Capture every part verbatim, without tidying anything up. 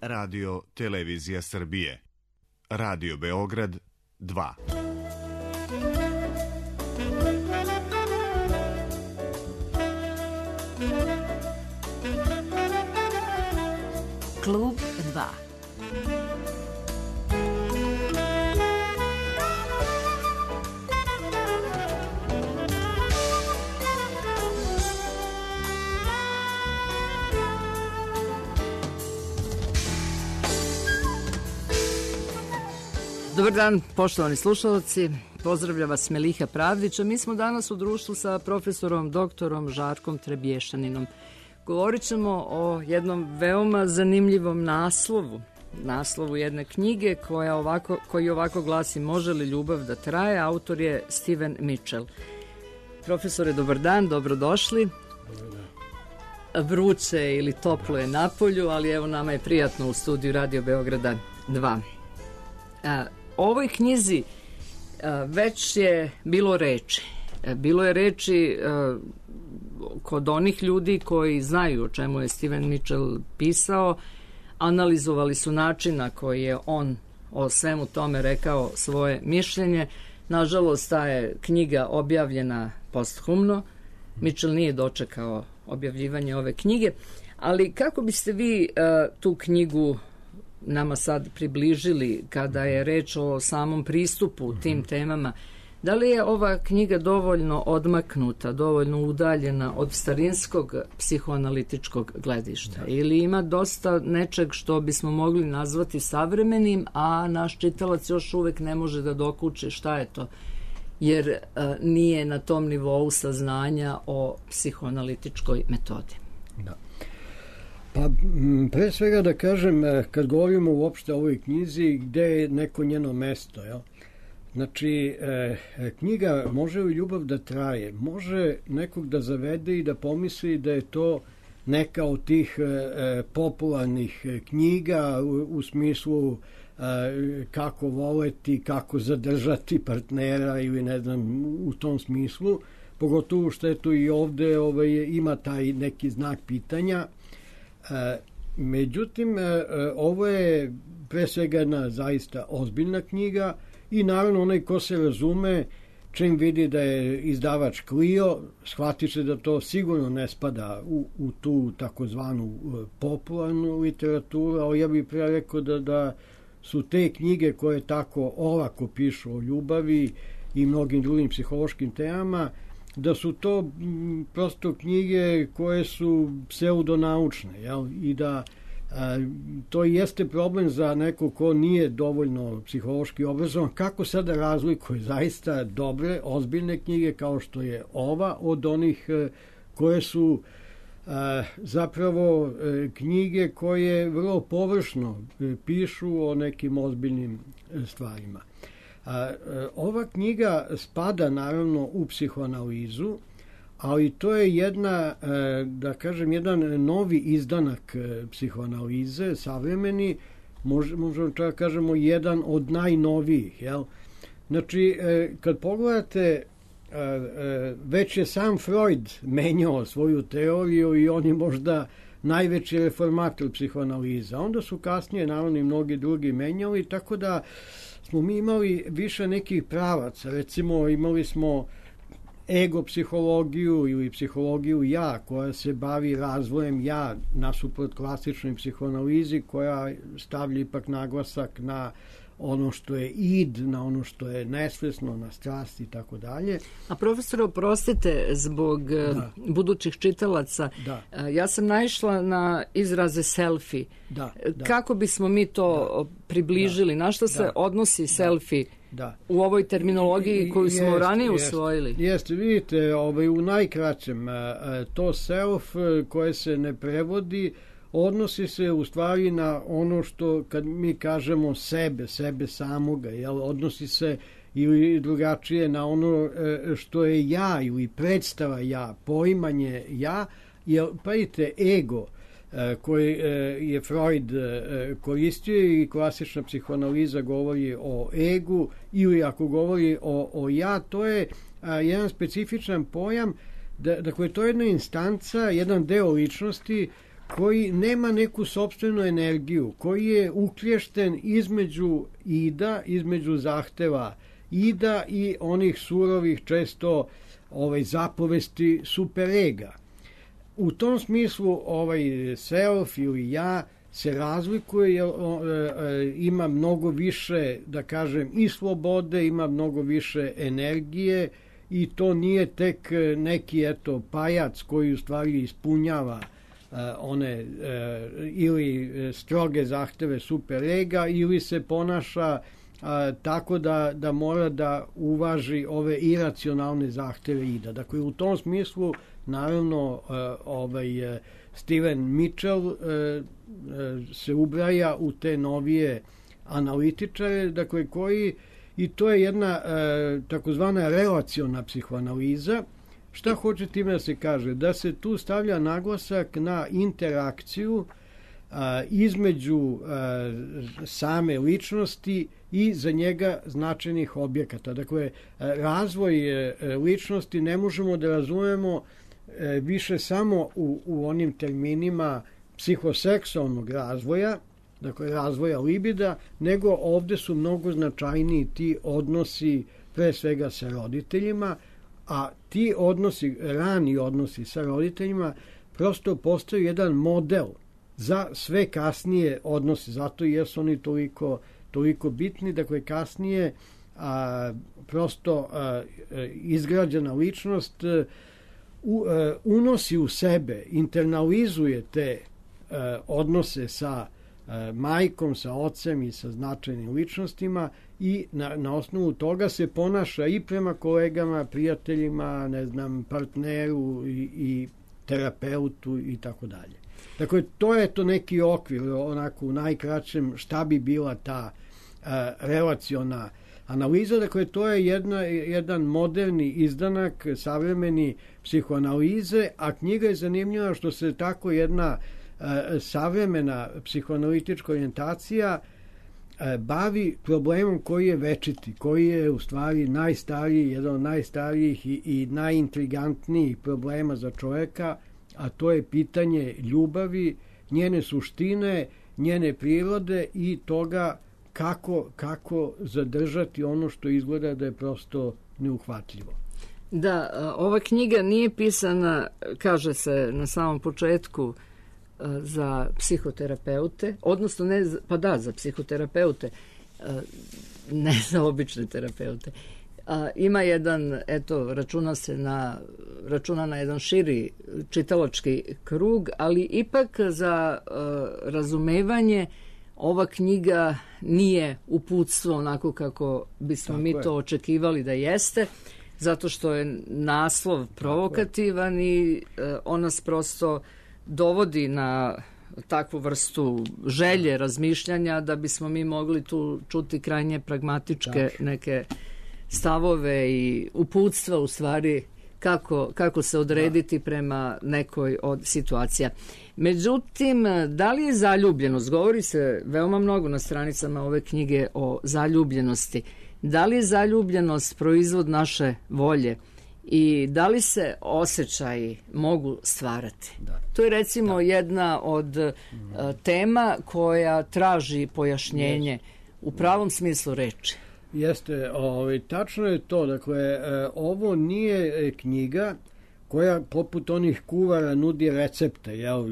Radio Televizija Srbije. Radio Beograd dva. Klub dva. Dobar dan, poštovani slušalci. Pozdravlja vas Meliha Pravdić, a mi smo danas u društvu sa profesorom doktorom Žarkom Trebješaninom. Govorit ćemo o jednom veoma zanimljivom naslovu, naslovu jedne knjige koja ovako, koji ovako glasi Može li ljubav da traje? Autor je Steven Mitchell. Profesore, dobar dan, dobrodošli. Vruće ili toplo je napolju, ali evo nama je prijatno u studiju Radio Beograda dva. A, o ovoj knjizi a, već je bilo reči. A, bilo je reči a, kod onih ljudi koji znaju o čemu je Steven Mitchell pisao, analizovali su način na koji je on o svemu tome rekao svoje mišljenje. Nažalost, ta je knjiga objavljena posthumno. Mitchell nije dočekao objavljivanje ove knjige, ali kako biste vi uh, tu knjigu nama sad približili kada je reč o samom pristupu tim temama? Da li je ova knjiga dovoljno odmaknuta, dovoljno udaljena od starinskog psihoanalitičkog gledišta? Da. Ili ima dosta nečeg što bismo mogli nazvati savremenim, a naš čitalac još uvek ne može da dokuči šta je to, jer a, nije na tom nivou saznanja o psihoanalitičkoj metodi? Da. Pa pre svega da kažem, kad govorimo uopšte o ovoj knjizi, gde je neko njeno mesto, jel? Znači, e, knjiga Može li ljubav da traje? Može nekog da zavede i da pomisli da je to neka od tih e, popularnih knjiga u, u smislu e, kako voleti, kako zadržati partnera ili ne znam u tom smislu. Pogotovo što je to i ovde ovaj, ima taj neki znak pitanja. E, međutim, e, ovo je pre svega jedna zaista ozbiljna knjiga. I naravno onaj ko se razume, čim vidi da je izdavač Clio, shvati se da to sigurno ne spada u, u tu takozvanu popularnu literaturu, ali ja bih prije rekao da, da su te knjige koje tako olako pišu o ljubavi i mnogim drugim psihološkim temama, da su to m, prosto knjige koje su pseudonaučne, jel? I da A, to jeste problem za neko ko nije dovoljno psihološki obrazovan, kako sada razlikuje zaista dobre, ozbiljne knjige kao što je ova od onih koje su a, zapravo a, knjige koje vrlo površno a, pišu o nekim ozbiljnim a, stvarima. A, a, ova knjiga spada naravno u psihoanalizu, ali to je jedna, da kažem, jedan novi izdanak psihoanalize, savremeni, možemo čak kažemo jedan od najnovijih, jel? Znači, kad pogledate, već je sam Freud menjao svoju teoriju i on je možda najveći reformator psihoanaliza. Onda su kasnije, naravno, i mnogi drugi menjali, tako da smo mi imali više nekih pravaca. Recimo, imali smo ego psihologiju ili psihologiju ja, koja se bavi razvojem ja nasuprot klasičnoj psihoanalizi, koja stavlja ipak naglasak na ono što je id, na ono što je nesvesno, na strast i tako dalje. A profesore, oprostite, zbog da. budućih čitalaca, da. ja sam naišla na izraze selfie. Da, da. Kako bismo mi to da. približili? Na što se da. odnosi da. selfie? Da. U ovoj terminologiji koju smo jest, ranije jest, usvojili? Jeste, vidite, ovaj, u najkraćem, to self koje se ne prevodi odnosi se u stvari na ono što kad mi kažemo sebe, sebe samoga, jel? Odnosi se ili drugačije na ono što je ja ili predstava ja, poimanje ja, jer pazite, ego koji je Freud koristio i klasična psihoanaliza govori o egu ili ako govori o, o ja, to je jedan specifičan pojam, da, dakle to je jedna instanca, jedan deo ličnosti koji nema neku sopstvenu energiju, koji je uklješten između ida, između zahteva ida i onih surovih često ovaj, zapovesti superega. U tom smislu ovaj self ili ja se razlikuje, jer ima mnogo više, da kažem, i slobode, ima mnogo više energije i to nije tek neki eto pajac koji u stvari ispunjava one ili stroge zahteve superega ili se ponaša a, tako da, da mora da uvaži ove iracionalne zahteve ida. Dakle, u tom smislu, naravno, a, ovaj, a, Steven Mitchell a, a, se ubraja u te novije analitičare, dakle, koji, i to je jedna a, takozvana relaciona psihoanaliza. Šta hoće time da se kaže? Da se tu stavlja naglasak na interakciju a, između a, same ličnosti i za njega značajnih objekata. Dakle, razvoj a, ličnosti ne možemo da razumemo a, više samo u, u onim terminima psihoseksualnog razvoja, dakle razvoja libida, nego ovde su mnogo značajniji ti odnosi pre svega sa roditeljima, a ti odnosi, rani odnosi sa roditeljima prosto postaju jedan model za sve kasnije odnose, zato jer su oni toliko, toliko bitni. Dakle, kasnije a, prosto a, izgrađena ličnost a, u, a, unosi u sebe, internalizuje te a, odnose sa a, majkom, sa ocem i sa značajnim ličnostima i na, na osnovu toga se ponaša i prema kolegama, prijateljima, ne znam, partneru i, i terapeutu i tako dalje. Dakle, to je to neki okvir, onako u najkraćem šta bi bila ta uh, relaciona analiza. Dakle, to je jedna, jedan moderni izdanak savremeni psihoanalize, a knjiga je zanimljiva što se tako jedna uh, savremena psihoanalitička orijentacija bavi problemom koji je večiti, koji je u stvari najstariji, jedan od najstarijih i, i najintrigantnijih problema za čoveka, a to je pitanje ljubavi, njene suštine, njene prirode i toga kako, kako zadržati ono što izgleda da je prosto neuhvatljivo. Da, ova knjiga nije pisana, kaže se na samom početku, za psihoterapeute, odnosno ne, pa da, za psihoterapeute, ne za obične terapeute. Ima jedan, eto, računa se na, računa na jedan širi čitalački krug, ali ipak za razumevanje ova knjiga nije uputstvo onako kako bismo Tako mi je. to očekivali da jeste, zato što je naslov provokativan i on nas prosto dovodi na takvu vrstu želje, razmišljanja da bismo mi mogli tu čuti krajnje pragmatičke Tako. neke stavove i uputstva u stvari kako, kako se odrediti da. prema nekoj od situacija. Međutim, da li je zaljubljenost? Govori se veoma mnogo na stranicama ove knjige o zaljubljenosti. Da li je zaljubljenost proizvod naše volje? I da li se osjećaji mogu stvarati? Da. To je recimo da. jedna od uh, tema koja traži pojašnjenje Jeste. u pravom smislu reči. Jeste, ovaj, tačno je to. Dakle, ovo nije knjiga koja poput onih kuvara nudi recepte, jel,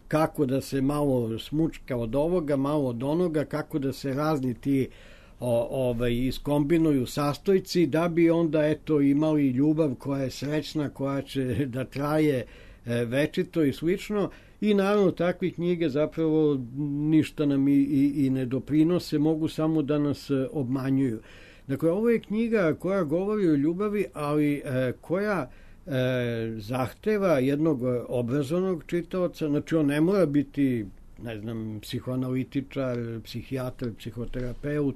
kako da se malo smučka od ovoga, malo od onoga, kako da se razni ti O, ovaj, iskombinuju sastojci da bi onda eto imali ljubav koja je srećna, koja će da traje e, večito i slično. I naravno takve knjige zapravo ništa nam i, i, i ne doprinose, mogu samo da nas e, obmanjuju. Dakle, ovo je knjiga koja govori o ljubavi, ali e, koja e, zahteva jednog obrazovnog čitaoca. Znači, on ne mora biti, ne znam, psihoanalitičar, psihijatar, psihoterapeut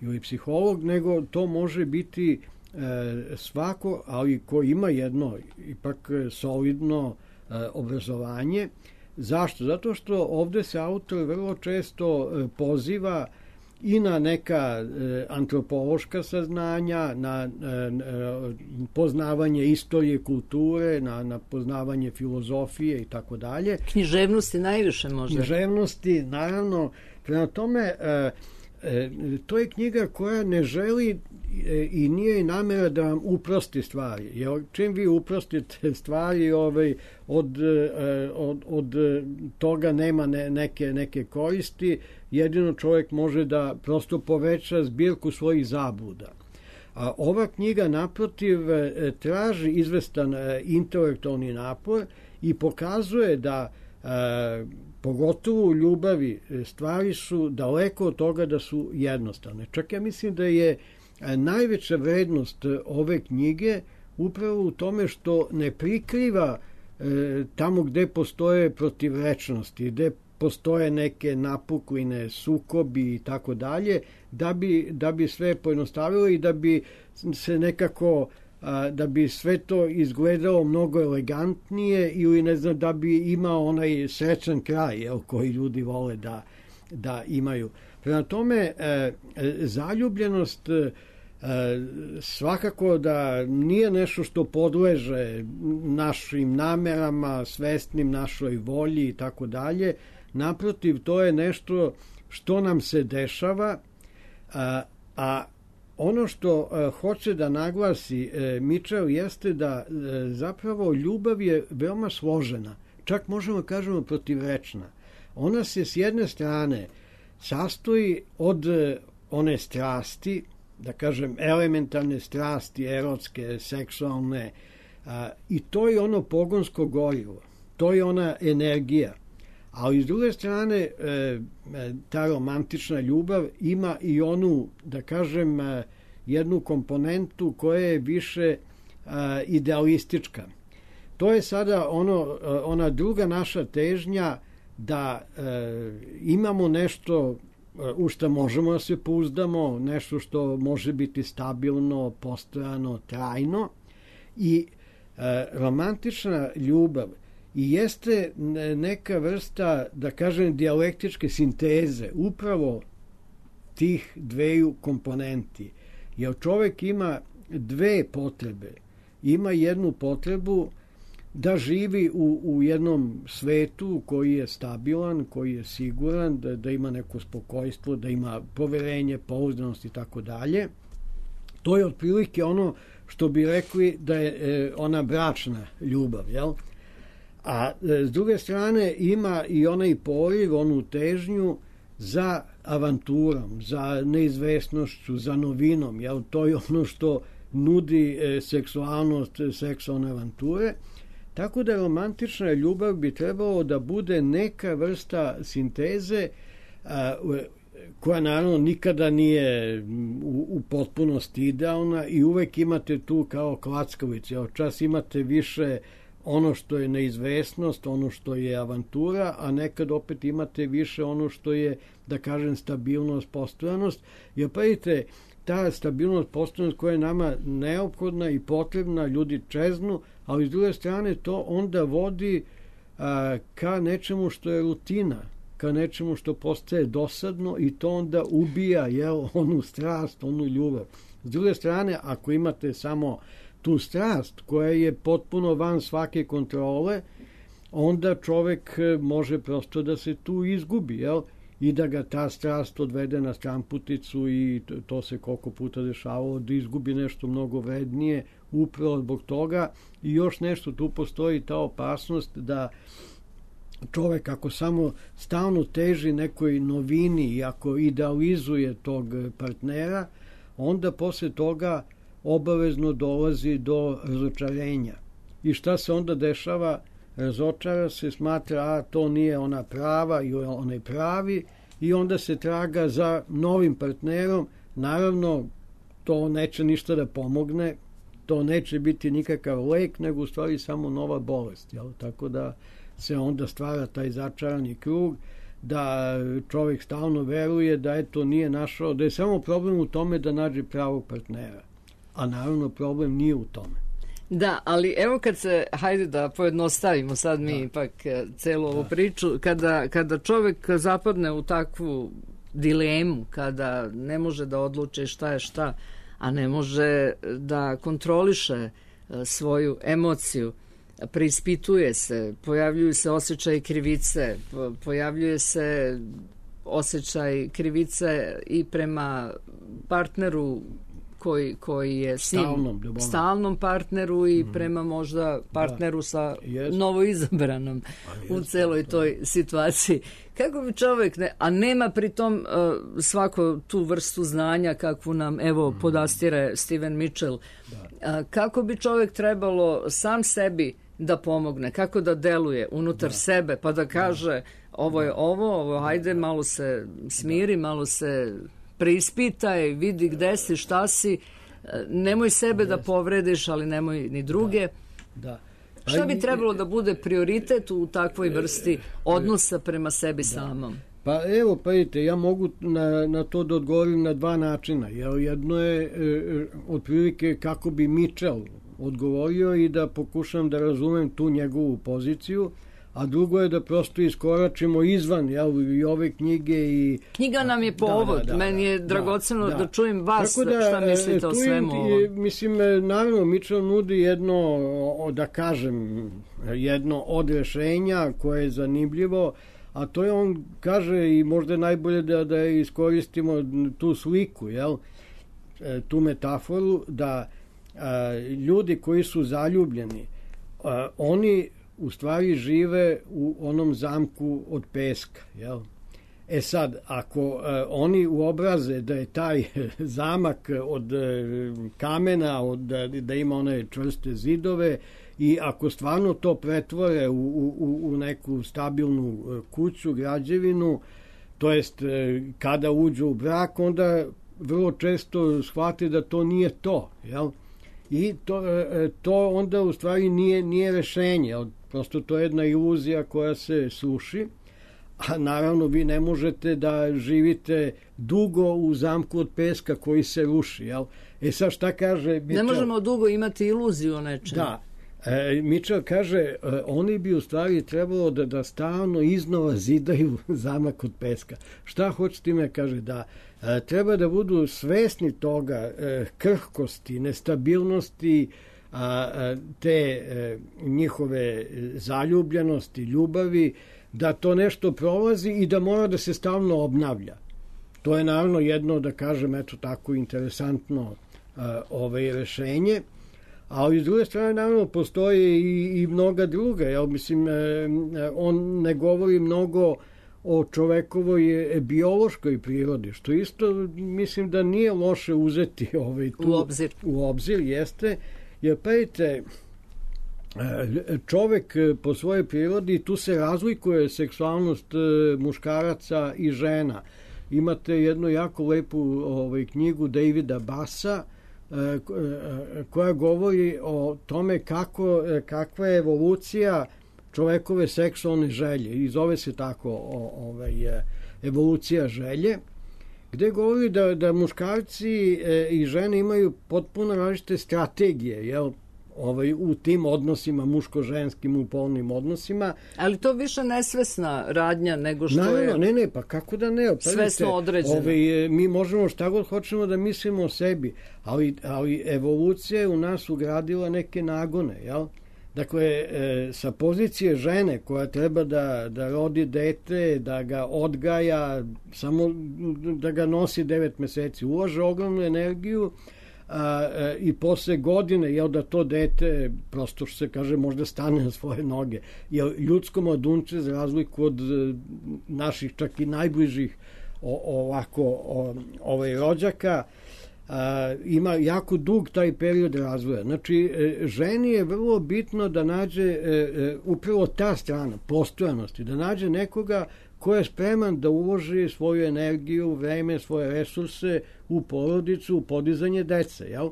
ili psiholog, nego to može biti e, svako, ali ko ima jedno ipak solidno e, obrazovanje. Zašto? Zato što ovde se autor vrlo često e, poziva i na neka antropološka saznanja, na poznavanje istorije, kulture, na, na poznavanje filozofije i tako dalje. Književnosti najviše možda. Književnosti, naravno. Prema tome, to je knjiga koja ne želi i nije i namera da vam uprosti stvari. Jer čim vi uprostite stvari, ovaj, od, od, od toga nema ne, neke, neke koristi, jedino čovjek može da prosto poveća zbirku svojih zabluda. A ova knjiga, naprotiv, traži izvestan intelektualni napor i pokazuje da pogotovo u ljubavi stvari su daleko od toga da su jednostavne. Čak ja mislim da je najveća vrednost ove knjige upravo u tome što ne prikriva e, tamo gde postoje protivrečnosti, gde postoje neke napukline, sukobi i tako dalje, da bi, da bi sve pojednostavilo i da bi se nekako a, da bi sve to izgledalo mnogo elegantnije ili ne znam, da bi imao onaj srećan kraj, jel, koji ljudi vole da, da imaju. Prema tome, e, zaljubljenost e, svakako da nije nešto što podleže našim namerama, svesnim našoj volji i tako dalje. Naprotiv, to je nešto što nam se dešava, a, a ono što a, hoće da naglasi e, Mitchell jeste da e, zapravo ljubav je veoma složena, čak možemo kažemo protivrečna. Ona se s jedne strane sastoji od e, one strasti, da kažem elementarne strasti, erotske, seksualne, a, i to je ono pogonsko gorivo, to je ona energija. Ali s druge strane, e, ta romantična ljubav ima i onu, da kažem, e, jednu komponentu koja je više e, idealistička. To je sada ono, ona druga naša težnja da e, imamo nešto u što možemo da se pouzdamo, nešto što može biti stabilno, postojano, trajno. I e, romantična ljubav i jeste neka vrsta, da kažem, dijalektičke sinteze upravo tih dveju komponenti. Jer čovjek ima dve potrebe. Ima jednu potrebu da živi u, u jednom svetu koji je stabilan, koji je siguran, da, da ima neko spokojstvo, da ima poverenje, pouzdanost i tako dalje. To je otprilike ono što bi rekli da je e, ona bračna ljubav, jel? A e, s druge strane ima i onaj poriv, onu težnju za avanturom, za neizvesnošću, za novinom, jel? To je ono što nudi e, seksualnost, seksualne avanture. Tako da romantična ljubav bi trebalo da bude neka vrsta sinteze a, koja naravno nikada nije u, u potpunosti idealna i uvek imate tu kao klackavice. Čas imate više ono što je neizvesnost, ono što je avantura, a nekad opet imate više ono što je, da kažem, stabilnost, postojanost. Jer pravite, ta stabilnost, postojanost koja je nama neophodna i potrebna, ljudi čeznu, ali s druge strane to onda vodi a, ka nečemu što je rutina, ka nečemu što postaje dosadno i to onda ubija, jel, onu strast, onu ljubav. S druge strane, ako imate samo tu strast koja je potpuno van svake kontrole, onda čovek može prosto da se tu izgubi, jel, i da ga ta strast odvede na stranputicu i to, to se koliko puta dešavalo da izgubi nešto mnogo vrednije upravo zbog toga. I još nešto, tu postoji ta opasnost da čovek ako samo stalno teži nekoj novini i ako idealizuje tog partnera, onda posle toga obavezno dolazi do razočarenja. I šta se onda dešava? Razočara se, smatra, a to nije ona prava i onaj pravi, i onda se traga za novim partnerom. Naravno, to neće ništa da pomogne, to neće biti nikakav lek, nego u stvari samo nova bolest. Jel? Tako da se onda stvara taj začarani krug, da čovjek stalno veruje da eto nije našao, da je samo problem u tome da nađe pravog partnera. A naravno problem nije u tome. Da, ali evo kad se, hajde da pojednostavimo sad mi da. ipak celu ovu da. priču, kada, kada čovjek zapadne u takvu dilemu, kada ne može da odluči šta je šta, a ne može da kontroliše svoju emociju, preispituje se, pojavljuju se osjećaj krivice, pojavljuje se osjećaj krivice i prema partneru koji, koji je s njim, stalnom, stalnom partneru i mm. prema možda partneru da. sa yes. novoizabranom yes. u celoj toj situaciji. Kako bi čovjek, ne, a nema pritom uh, svako tu vrstu znanja kakvu nam evo mm. podastire Steven Mitchell, da. uh, kako bi čovjek trebalo sam sebi da pomogne, kako da deluje unutar da. sebe, pa da kaže da. ovo je ovo, ovo hajde, malo se smiri, da. malo se preispitaj, vidi gde si, šta si, nemoj sebe da povrediš, ali nemoj ni druge. Da. Da. Šta bi trebalo da bude prioritet u takvoj vrsti odnosa prema sebi da. samom? Pa evo, pa vidite, ja mogu na, na to da odgovorim na dva načina. Jedno je e, otprilike kako bi Mitchell odgovorio i da pokušam da razumem tu njegovu poziciju, a drugo je da prosto iskoračimo izvan jel, i ove knjige. I, Knjiga nam je povod, da, da, da, meni je dragoceno da, da čujem vas da, šta mislite o svemu ovom. Mislim, naravno, Mitchell nudi jedno, da kažem, jedno od rešenja koje je zanimljivo, a to je, on kaže, i možda je najbolje da, da iskoristimo tu sliku, jel, tu metaforu, da a, ljudi koji su zaljubljeni, a, oni u stvari žive u onom zamku od peska, jel? E sad, ako uh, oni uobraze da je taj zamak od uh, kamena, od, da ima one čvrste zidove i ako stvarno to pretvore u, u, u neku stabilnu uh, kuću, građevinu, to jest uh, kada uđu u brak, onda vrlo često shvate da to nije to, jel? I to, uh, to onda u stvari nije, nije rešenje, prosto to je jedna iluzija koja se sluši, a naravno vi ne možete da živite dugo u zamku od peska koji se ruši, jel? E sad šta kaže Mitchell? Ne možemo dugo imati iluziju o nečemu. Da. E, Mitchell kaže, e, oni bi u stvari trebalo da, da stalno iznova zidaju zamak od peska. Šta hoće time? Kaže da e, treba da budu svesni toga, e, krhkosti, nestabilnosti, a, te e, njihove zaljubljenosti, ljubavi, da to nešto prolazi i da mora da se stalno obnavlja. To je naravno jedno, da kažem, eto tako interesantno a, ovaj rešenje, ali s druge strane naravno postoje i, i mnoga druga. Ja mislim, e, on ne govori mnogo o čovekovoj biološkoj prirodi, što isto mislim da nije loše uzeti ovaj, tu, u obzir. U obzir jeste. Jer pejte, čovek po svojoj prirodi, tu se razlikuje seksualnost muškaraca i žena. Imate jednu jako lepu ovaj, knjigu Davida Bassa koja govori o tome kako, kakva je evolucija čovekove seksualne želje. I zove se tako ovaj, evolucija želje, gde govori da, da muškarci e, i žene imaju potpuno različite strategije, jel, ovaj, u tim odnosima, muško-ženskim, u polnim odnosima. Ali to više nesvesna radnja nego što Naravno, je... Ne, ne, pa kako da ne? Pa svesno određeno. Ovaj, mi možemo šta god hoćemo da mislimo o sebi, ali, ali evolucija je u nas ugradila neke nagone, jel? Dakle, e, sa pozicije žene koja treba da, da rodi dete, da ga odgaja, samo da ga nosi devet meseci, ulaže ogromnu energiju a, a, i posle godine, jel, da to dete, prosto što se kaže, možda stane na svoje noge. Jel, ljudsko mladunče, za razliku od naših čak i najbližih o, ovako o, ovaj rođaka, A, ima jako dug taj period razvoja. Znači, e, ženi je vrlo bitno da nađe e, e, upravo ta strana postojanosti, da nađe nekoga ko je spreman da uloži svoju energiju, vreme, svoje resurse u porodicu, u podizanje dece, jel?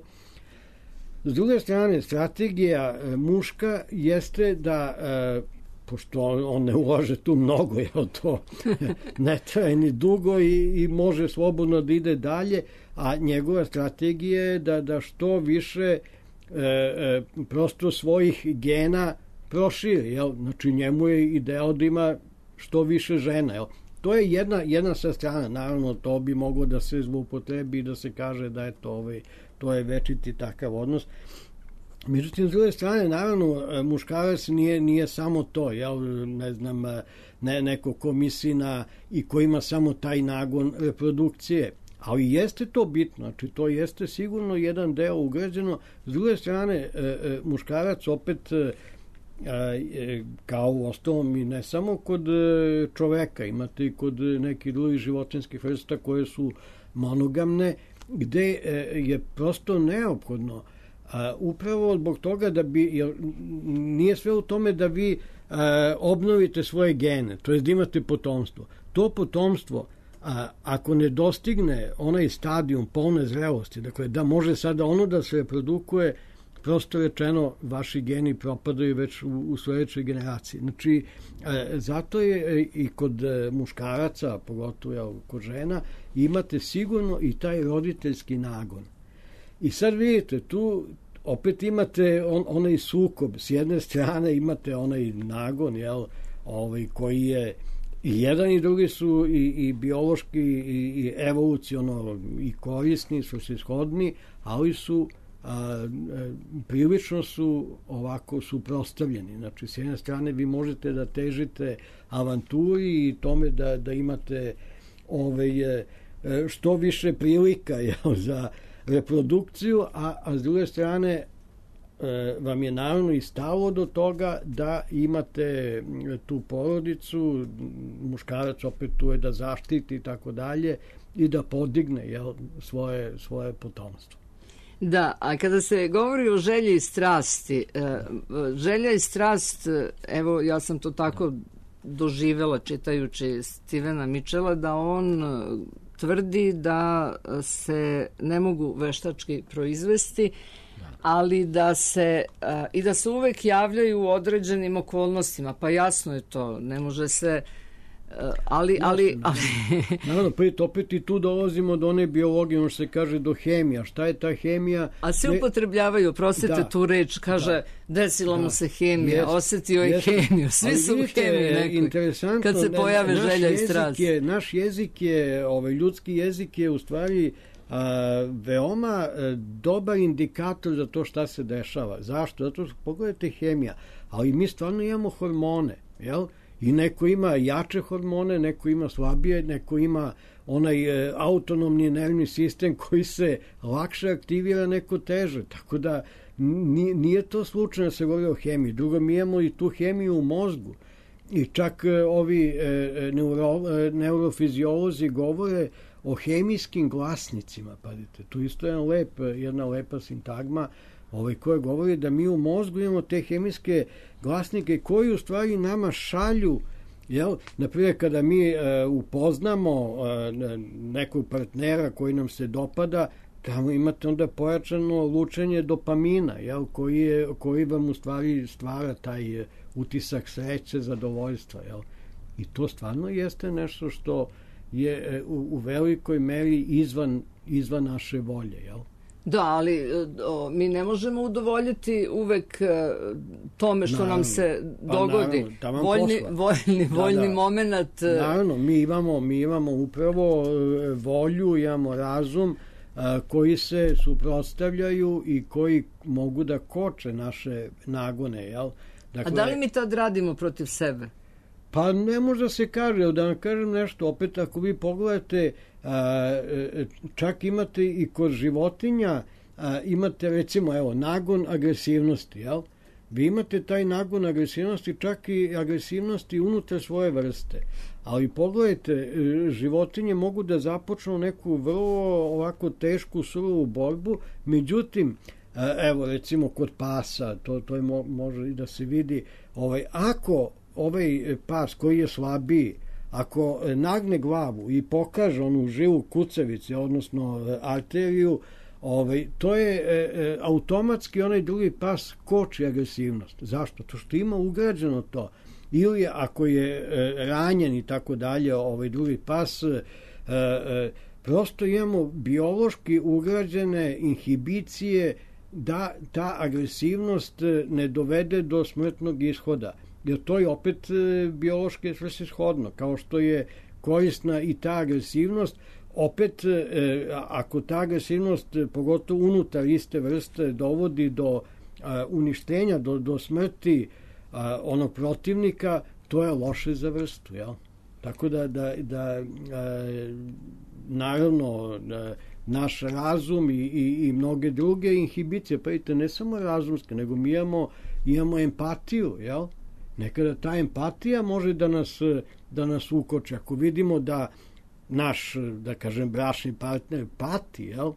S druge strane, strategija e, muška jeste da e, pošto on ne ulaže tu mnogo, jel, to ne traje ni dugo i, i može slobodno da ide dalje, a njegova strategija je da, da što više e, e, prosto svojih gena proširi, jel? Znači njemu je ideal da ima što više žena, jel? to je jedna, jedna sa strana. Naravno, to bi moglo da se zloupotrebi i da se kaže da je to, ovaj, to je večiti takav odnos. Međutim, s druge strane, naravno, muškarac nije, nije samo to, jel, ne znam, ne, neko ko misli na i ko ima samo taj nagon reprodukcije. Ali jeste to bitno, znači to jeste sigurno jedan deo ugrađeno. S druge strane, muškarac opet, kao u ostalom i ne samo kod čoveka, imate i kod nekih drugih životinskih vrsta koje su monogamne, gde je prosto neophodno A, upravo zbog toga da bi, jer nije sve u tome da vi a, obnovite svoje gene, to je da imate potomstvo. To potomstvo, a, ako ne dostigne onaj stadijum polne zrelosti, dakle da može sada ono da se reprodukuje, prosto rečeno vaši geni propadaju već u, u sledećoj generaciji. Znači, a, zato je i kod muškaraca, pogotovo ja, kod žena, imate sigurno i taj roditeljski nagon. I sad vidite, tu opet imate on, onaj sukob. S jedne strane imate onaj nagon, jel, ovaj, koji je i jedan i drugi su i, i biološki i, i evoluciono i korisni, su se shodni, ali su a, a, prilično su ovako suprotstavljeni. Znači, s jedne strane vi možete da težite avanturi i tome da, da imate ovaj, što više prilika, jel, za reprodukciju, a, a s druge strane e, vam je naravno i stalo do toga da imate tu porodicu, muškarac opet tu je da zaštiti i tako dalje i da podigne, jel, svoje, svoje potomstvo. Da, a kada se govori o želji i strasti, e, želja i strast, evo ja sam to tako doživela čitajući Stevena Mitchella, da on tvrdi da se ne mogu veštački proizvesti, ali da se a, i da se uvek javljaju u određenim okolnostima. Pa jasno je to, ne može se, a, ali... ali, ali... Naravno, pa opet i tu dolazimo do one biologije, ono što se kaže do hemija. Šta je ta hemija? A svi upotrebljavaju, prostite da, tu reč, kaže da, desila da, mu se hemija, jest, osetio je hemiju, svi ali su vidite, u hemiji nekoj, kad se pojave ne, želja i strast. Je, naš jezik je, ovaj, ljudski jezik je u stvari a, veoma a, dobar indikator za to šta se dešava. Zašto? Zato što pogledajte hemija, ali mi stvarno imamo hormone, jel? I neko ima jače hormone, neko ima slabije, neko ima onaj e, autonomni nervni sistem koji se lakše aktivira, neko teže. Tako da nije, nije to slučajno da se govori o hemiji. Drugo, mi imamo i tu hemiju u mozgu. I čak e, ovi e, neuro, e, neurofiziolozi govore o hemijskim glasnicima. Pazite, tu isto je lep, jedna lepa sintagma ovaj, koja govori da mi u mozgu imamo te hemijske glasnike koji u stvari nama šalju, jel, naprimjer kada mi e, upoznamo e, nekog partnera koji nam se dopada, tamo imate onda pojačano lučenje dopamina, jel, koji, je, koji vam u stvari stvara taj utisak sreće, zadovoljstva, jel. I to stvarno jeste nešto što je u, u velikoj meri izvan, izvan naše volje, jel. Da, ali o, mi ne možemo udovoljiti uvek e, tome što naravno, nam se dogodi. Pa naravno, voljni, voljni, da, voljni da. moment. E... Naravno, mi imamo, mi imamo upravo volju, imamo razum a, koji se suprotstavljaju i koji mogu da koče naše nagone, jel? Dakle, a da li mi tad radimo protiv sebe? Pa ne može da se kaže, da vam kažem nešto, opet ako vi pogledate, a, čak imate i kod životinja, a, imate recimo, evo, nagon agresivnosti, jel? Vi imate taj nagon agresivnosti, čak i agresivnosti unutar svoje vrste. Ali pogledajte, životinje mogu da započnu neku vrlo ovako tešku, surovu borbu, međutim, evo recimo kod pasa, to, to je mo, može i da se vidi, ovaj, ako ovaj pas koji je slabiji, ako nagne glavu i pokaže onu žilu kucavicu, odnosno arteriju, ovaj, to je e, automatski onaj drugi pas koči agresivnost. Zašto? To što ima ugrađeno to. Ili ako je e, ranjen i tako dalje, ovaj drugi pas, e, e, prosto imamo biološki ugrađene inhibicije da ta agresivnost ne dovede do smrtnog ishoda. Jer to je opet e, biološki svrsishodno, kao što je korisna i ta agresivnost. Opet, e, ako ta agresivnost, pogotovo unutar iste vrste, dovodi do a, uništenja, do, do smrti a, onog protivnika, to je loše za vrstu, jel? Tako da, da, da a, naravno, da, naš razum i, i, i mnoge druge inhibicije, pa vidite, ne samo razumske, nego mi imamo, imamo empatiju, jel? Nekada ta empatija može da nas, da nas ukoče. Ako vidimo da naš, da kažem, bračni partner pati, jel?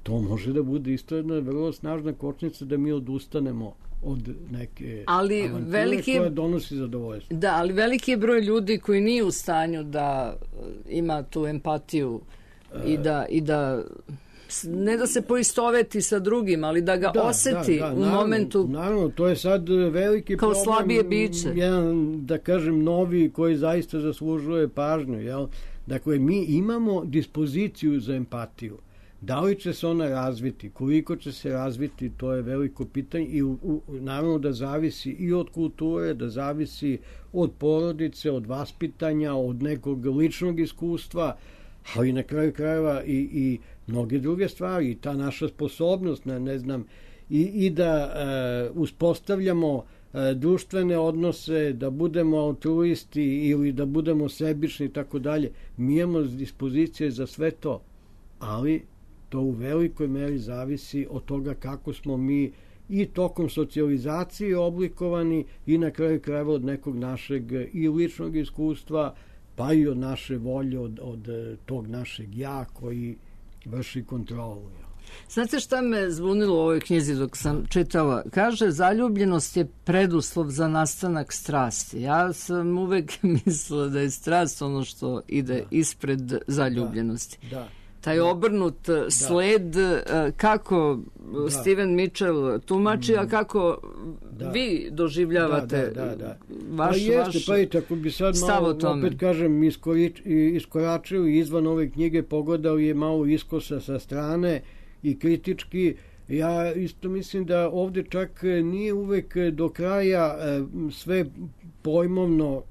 To može da bude isto jedna vrlo snažna kočnica da mi odustanemo od neke ali avanture veliki, koja donosi zadovoljstvo. Da, ali veliki je broj ljudi koji nije u stanju da ima tu empatiju i da, i da ne da se poistoveti sa drugim, ali da ga da, oseti da, da, u naravno, momentu. Naravno, to je sad veliki kao problem. Slabije biće. Jedan, da kažem, novi koji zaista zaslužuje pažnju. Jel? Dakle, mi imamo dispoziciju za empatiju. Da li će se ona razviti, koliko će se razviti, to je veliko pitanje i u, u, naravno da zavisi i od kulture, da zavisi od porodice, od vaspitanja, od nekog ličnog iskustva, ali na kraju krajeva i, i mnoge druge stvari, i ta naša sposobnost, ne, ne znam, i, i da e, uspostavljamo e, društvene odnose, da budemo altruisti ili da budemo sebični i tako dalje. Mi imamo dispozicije za sve to, ali to u velikoj meri zavisi od toga kako smo mi i tokom socijalizacije oblikovani i na kraju krajeva od nekog našeg i ličnog iskustva, pa i od naše volje, od, od tog našeg ja koji vrši kontrolu. Znate šta me zbunilo u ovoj knjizi dok sam čitala? Kaže, zaljubljenost je preduslov za nastanak strasti. Ja sam uvek mislila da je strast ono što ide da. ispred zaljubljenosti. Da, da. Taj obrnut da. sled, kako da. Steven Mitchell tumači, mm. a kako da. vi doživljavate da, da, da, da. vaš, pa jeste, vaš pa i tako bi sad malo, opet kažem, iskorič, iskoračili izvan ove knjige, pogledali je malo iskosa sa strane i kritički. Ja isto mislim da ovde čak nije uvek do kraja sve pojmovno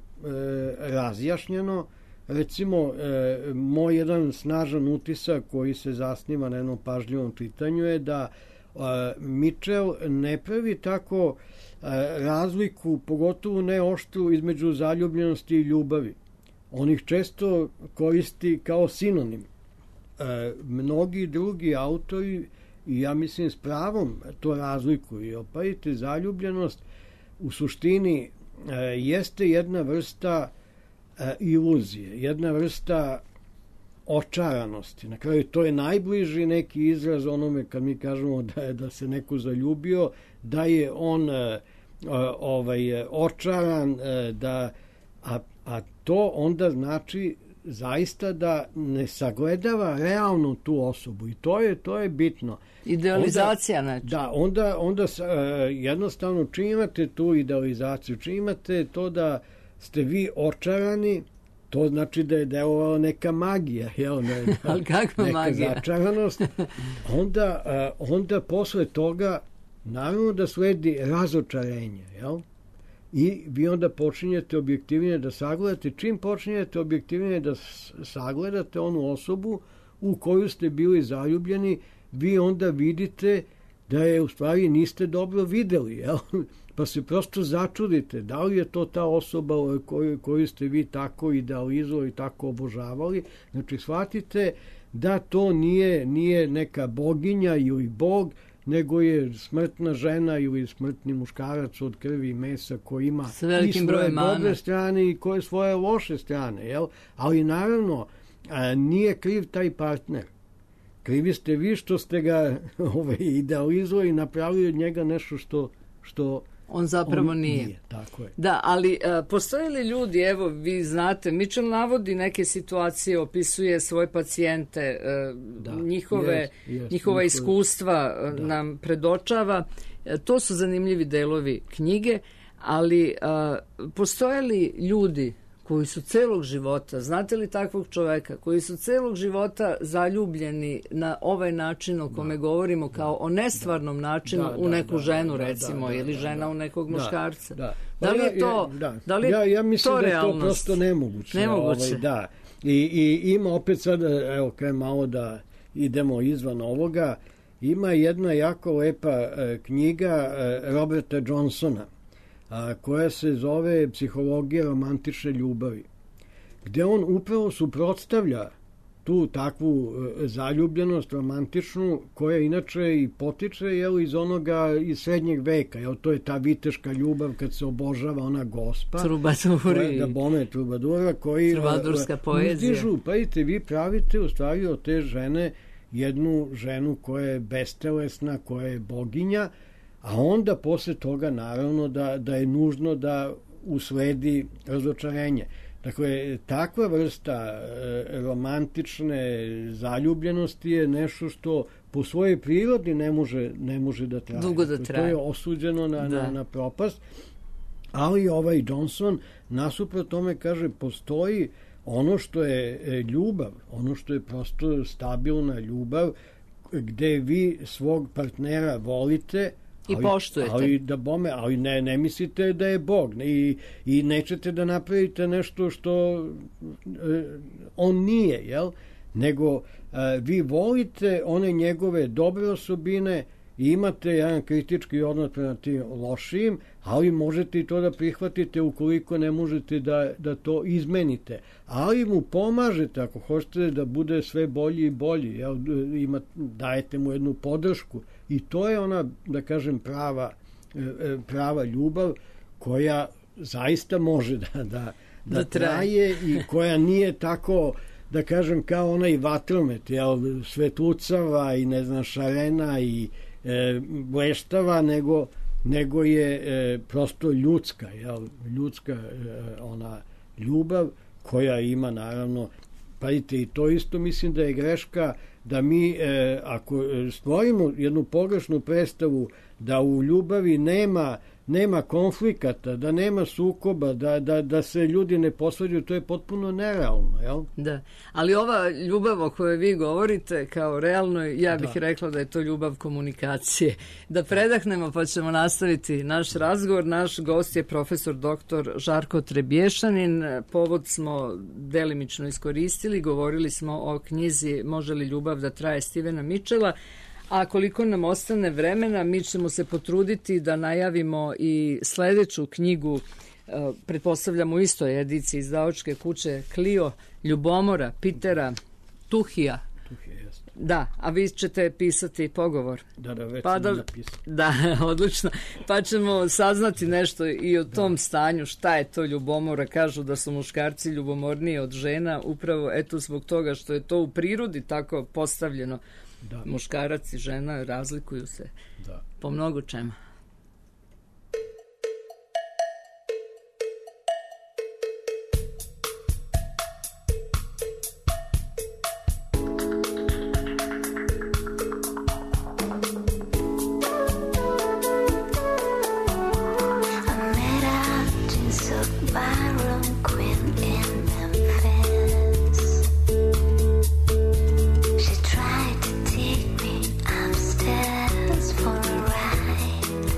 razjašnjeno. Recimo, e, moj jedan snažan utisak koji se zasniva na jednom pažljivom čitanju je da e, Mitchell ne pravi tako e, razliku, pogotovo ne oštru, između zaljubljenosti i ljubavi. On ih često koristi kao sinonim. E, mnogi drugi autori, i ja mislim s pravom, to razlikuju. Opajite, zaljubljenost u suštini e, jeste jedna vrsta iluzije, jedna vrsta očaranosti. Na kraju to je najbliži neki izraz onome kad mi kažemo da je da se neko zaljubio, da je on ovaj očaran, da a, a to onda znači zaista da ne sagledava realno tu osobu i to je to je bitno. Idealizacija onda, znači. Da, onda onda jednostavno čim imate tu idealizaciju, čim imate to da ste vi očarani, to znači da je delovala neka magija, jel, ne, ali kakva neka magija? Začaranost. Onda, onda posle toga naravno da sledi razočarenje, jel? I vi onda počinjete objektivnije da sagledate. Čim počinjete objektivnije da sagledate onu osobu u koju ste bili zaljubljeni, vi onda vidite da je u stvari niste dobro videli, jel? Pa se prosto začudite da li je to ta osoba koju, koju ste vi tako idealizovali, tako obožavali. Znači, shvatite da to nije, nije neka boginja ili bog, nego je smrtna žena ili smrtni muškarac od krvi i mesa koji ima i svoje dobre strane i koje svoje loše strane. Jel? Ali naravno, a, nije kriv taj partner. Krivi ste vi što ste ga ovaj, idealizovali i napravili od njega nešto što, što on zapravo on nije. nije. Tako je. Da, ali a, postoje li ljudi, evo vi znate, Mitchell navodi neke situacije, opisuje svoje pacijente, a, da, njihove, jest, jest, njihova iskustva da. nam predočava. A, to su zanimljivi delovi knjige, ali a, postoje li ljudi koji su celog života, znate li takvog čoveka, koji su celog života zaljubljeni na ovaj način o kome da, govorimo, kao da, o nestvarnom da, načinu da, u neku da, ženu, da, recimo, da, da, ili žena da, u nekog da, muškarca. Da, da. Da li je to, da, da li je ja, ja mislim to da je realnost? To prosto nemoguće. Nemoguće. Ovaj, da. I, i ima opet sada, evo, kaj malo da idemo izvan ovoga, ima jedna jako lepa e, knjiga e, Roberta Johnsona, a, koja se zove Psihologija romantične ljubavi, gde on upravo suprotstavlja tu takvu e, zaljubljenost romantičnu, koja inače i potiče jel, iz onoga iz srednjeg veka, jel, to je ta viteška ljubav kad se obožava ona gospa, trubaduri, da bome trubadura, koji trubadurska poezija. Uzdižu, pa idete, vi pravite u stvari od te žene jednu ženu koja je bestelesna, koja je boginja, a onda posle toga naravno da, da je nužno da usledi razočarenje. Dakle, takva vrsta e, romantične zaljubljenosti je nešto što po svojoj prirodi ne može, ne može da traje. Dugo da traje. To je osuđeno na, na, na propast, ali ovaj Johnson nasuprot tome kaže postoji ono što je ljubav, ono što je prosto stabilna ljubav, gde vi svog partnera volite i ali, poštujete. Ali, da bome, ali ne, ne mislite da je Bog i, i nećete da napravite nešto što e, on nije, jel? Nego e, vi volite one njegove dobre osobine i imate jedan kritički odnos prema tim lošijim, ali možete i to da prihvatite ukoliko ne možete da, da to izmenite. Ali mu pomažete ako hoćete da bude sve bolji i bolji. Jel? Ima, dajete mu jednu podršku. I to je ona, da kažem, prava, prava ljubav koja zaista može da, da, da, da traje i koja nije tako, da kažem, kao onaj vatromet, jel? Svetlucava i ne znam, šarena i e, bleštava, nego nego je e, prosto ljudska, jel? Ljudska e, ona ljubav koja ima naravno, pazite, i to isto mislim da je greška da mi, e, ako stvorimo jednu pogrešnu predstavu da u ljubavi nema nema konflikata, da nema sukoba, da, da, da se ljudi ne posvađaju, to je potpuno nerealno, jel? Da, ali ova ljubav o kojoj vi govorite kao realno, ja bih da. rekla da je to ljubav komunikacije. Da predahnemo pa ćemo nastaviti naš razgovor. Naš gost je profesor doktor Žarko Trebješanin. Povod smo delimično iskoristili, govorili smo o knjizi Može li ljubav da traje Stevena Mitchella. A koliko nam ostane vremena, mi ćemo se potruditi da najavimo i sledeću knjigu, pretpostavljamo u istoj ediciji izdavačke kuće Clio, Ljubomora Pitera Tuhija. Tuhija, jasno. Da, a vi ćete pisati pogovor. Da, da, već pa sam da, napisao. Da, odlično. Pa ćemo saznati nešto i o tom da. stanju, šta je to ljubomora. Kažu da su muškarci ljubomorniji od žena, upravo eto zbog toga što je to u prirodi tako postavljeno. Da. Muškarac i žena razlikuju se da. po mnogo čemu. For a ride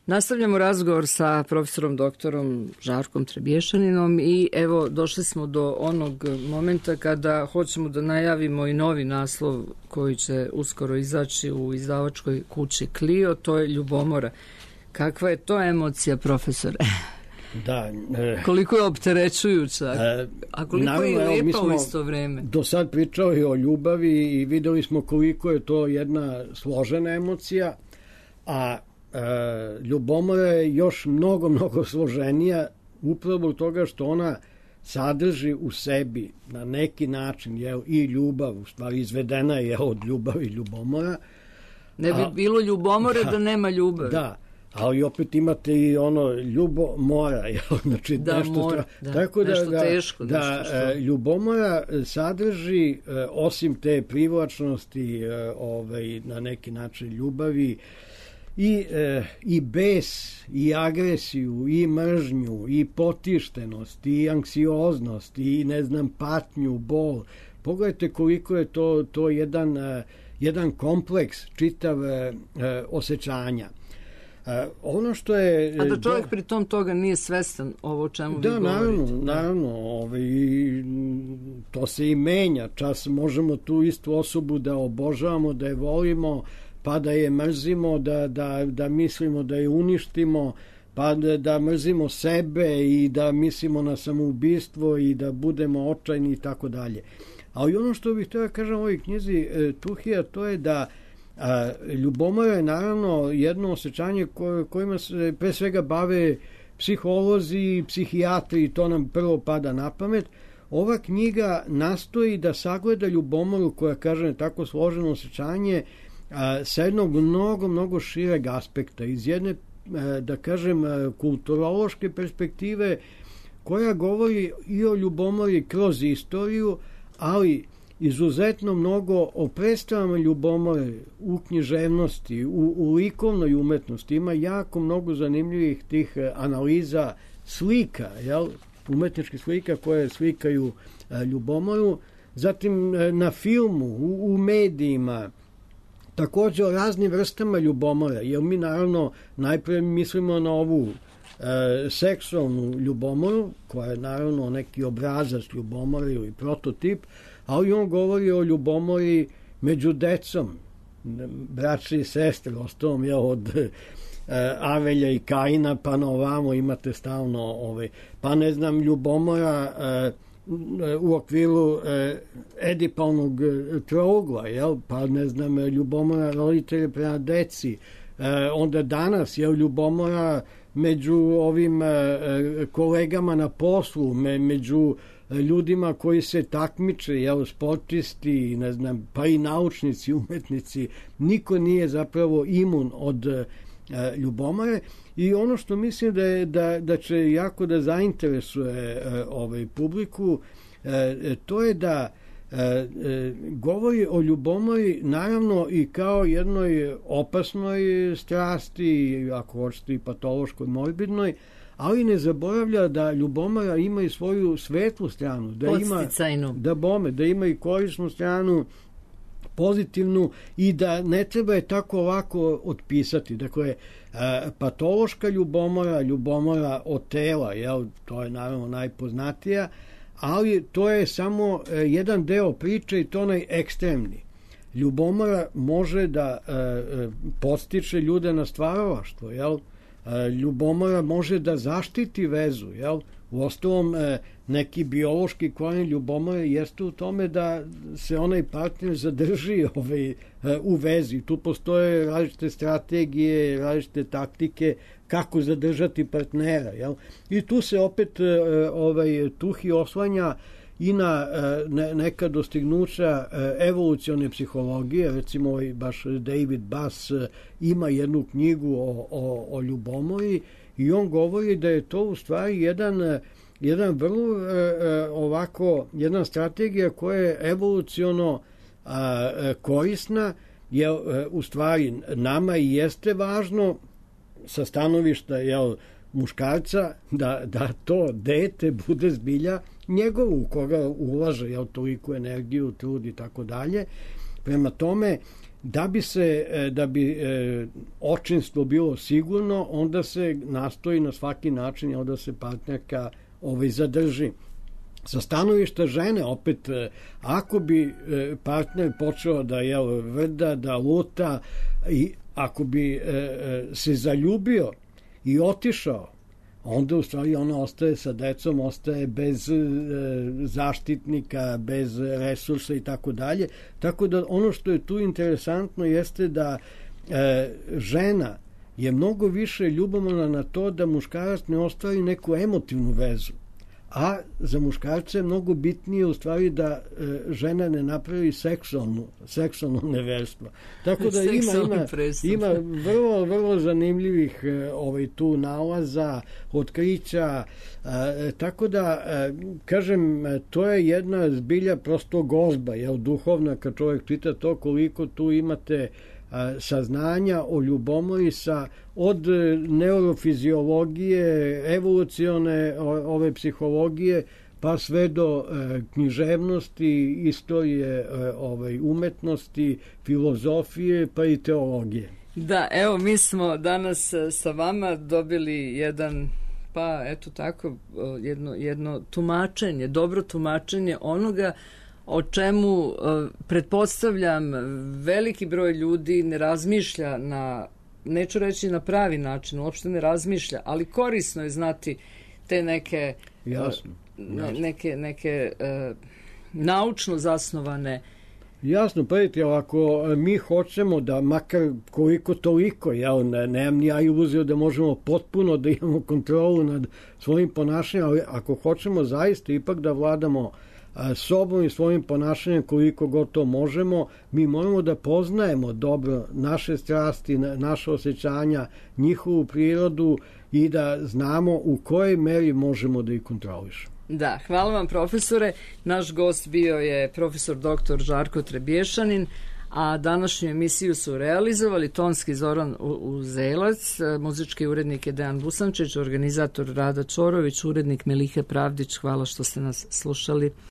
Nastavljamo razgovor sa profesorom doktorom Žarkom Trebješaninom i evo došli smo do onog momenta kada hoćemo da najavimo i novi naslov koji će uskoro izaći u izdavačkoj kući Clio, to je Ljubomora. Kakva je to emocija, profesore? Da. E, koliko je opterećujuća, e, a koliko naravno, je lijepa u isto vreme. Do sad pričali o ljubavi i videli smo koliko je to jedna složena emocija, a e, ljubomora je još mnogo, mnogo složenija upravo toga što ona sadrži u sebi na neki način jel, i ljubav, u stvari izvedena je od ljubavi ljubomora. Ne bi a, bilo ljubomore da, da nema ljubavi. Da, ali opet imate i ono ljubomora, jel? Znači, da, nešto, mora, da, tako da, nešto teško. Da, nešto što... ljubomora sadrži, osim te privlačnosti, ovaj, na neki način ljubavi, i, i bes, i agresiju, i mržnju, i potištenost, i anksioznost, i ne znam, patnju, bol. Pogledajte koliko je to, to jedan, jedan kompleks čitav osjećanja. Uh, ono što je... A da čovjek do... pri tom toga nije svestan ovo o čemu da, vi govorite. Naravno, naravno. Ovaj, to se i menja. Čas možemo tu istu osobu da obožavamo, da je volimo, pa da je mrzimo, da, da, da mislimo da je uništimo, pa da, da mrzimo sebe i da mislimo na samoubistvo i da budemo očajni i tako dalje. Ali ono što bih htio da kažem u ovoj knjizi Tuhija, to je da a, ljubomora je naravno jedno osjećanje ko, kojima se pre svega bave psiholozi i psihijatri i to nam prvo pada na pamet. Ova knjiga nastoji da sagleda ljubomoru koja, kažem, tako složeno osjećanje a, sa jednog mnogo, mnogo šireg aspekta, iz jedne, a, da kažem, a, kulturološke perspektive koja govori i o ljubomori kroz istoriju, ali izuzetno mnogo o predstavama ljubomore u književnosti, u, u likovnoj umetnosti. Ima jako mnogo zanimljivih tih analiza slika, jel? Umetničkih slika koje slikaju a, ljubomoru. Zatim a, na filmu, u, u medijima, također o raznim vrstama ljubomora, jer mi naravno najprije mislimo na ovu e, seksualnu ljubomoru, koja je naravno neki obrazac ljubomore ili prototip, ali on govori o ljubomori među decom, braći i sestre, ostalom je od e, Avelja i Kaina, pa na ovamo imate stalno, ove, pa ne znam, ljubomora e, u okviru e, Edipalnog trougla, jel? Pa ne znam, ljubomora roditelja prema deci, e, onda danas je ljubomora među ovim e, kolegama na poslu, me, među ljudima koji se takmiče, jel, sportisti, ne znam, pa i naučnici, umetnici, niko nije zapravo imun od e, ljubomore. I ono što mislim da, je, da, da će jako da zainteresuje e, ovaj publiku, e, to je da e, e, govori o ljubomori naravno i kao jednoj opasnoj strasti, ako hoćete i patološkoj, morbidnoj, ali ne zaboravlja da ljubomora ima i svoju svetlu stranu, da ima, da bome, da ima i korisnu stranu, pozitivnu, i da ne treba je tako lako otpisati. Dakle, patološka ljubomora, ljubomora od tela, jel, to je naravno najpoznatija, ali to je samo jedan deo priče i to onaj ekstremni. Ljubomora može da podstiče ljude na stvaralaštvo, jel? Ljubomora može da zaštiti vezu, jel? Uostalom, neki biološki korijen ljubomore jeste u tome da se onaj partner zadrži ovaj, u vezi. Tu postoje različite strategije, različite taktike kako zadržati partnera, jel? I tu se opet ovaj, Tuhi oslanja i na ne, neka dostignuća evolucione psihologije. Recimo, ovaj, baš David Bass ima jednu knjigu o, o, o ljubomori i on govori da je to u stvari jedan, jedan vrlo ovako, jedna strategija koja je evoluciono korisna, jer u stvari nama i jeste važno sa stanovišta, jel, muškarca, da, da to dete bude zbilja njegovo, u koga ulaže, jel, toliku energiju, trud i tako dalje. Prema tome, da bi se da bi očinstvo bilo sigurno, onda se nastoji na svaki način da se partnerka ovaj zadrži. Sa stanovišta žene, opet, ako bi partner počeo da je vrda, da luta, i ako bi se zaljubio i otišao, onda u stvari ona ostaje sa decom, ostaje bez zaštitnika, bez resursa i tako dalje. Tako da ono što je tu interesantno jeste da žena je mnogo više ljubomorna na to da muškarac ne ostvari neku emotivnu vezu. A za muškarce je mnogo bitnije u stvari da e, žena ne napravi seksualnu, seksualno neverstvo. Tako da ima, ima, ima vrlo, vrlo zanimljivih e, ovaj, tu nalaza, otkrića. E, tako da, e, kažem, to je jedna zbilja prosto gozba, jel, duhovna, kad čovjek čita to, koliko tu imate saznanja o ljubomori sa od neurofiziologije, evolucione ove psihologije, pa sve do e, književnosti, istorije e, ovaj, umetnosti, filozofije, pa i teologije. Da, evo, mi smo danas sa vama dobili jedan, pa eto tako, jedno, jedno tumačenje, dobro tumačenje onoga o čemu, pretpostavljam, veliki broj ljudi ne razmišlja na, neću reći na pravi način, uopšte ne razmišlja, ali korisno je znati te neke, jasno, ne, neke, neke uh, naučno zasnovane. Jasno, pa vidite, ako mi hoćemo da makar koliko toliko, ja ne, nemam ni ja iluziju da možemo potpuno da imamo kontrolu nad svojim ponašanjem, ali ako hoćemo zaista ipak da vladamo sobom i svojim ponašanjem koliko god to možemo, mi moramo da poznajemo dobro naše strasti, naše osjećanja, njihovu prirodu i da znamo u kojoj meri možemo da ih kontrolišemo. Da, hvala vam, profesore. Naš gost bio je profesor doktor Žarko Trebješanin, a današnju emisiju su realizovali tonski Zoran Uzelac, muzički urednik je Dejan Busančić, organizator Rada Čorović, urednik Melihe Pravdić. Hvala što ste nas slušali.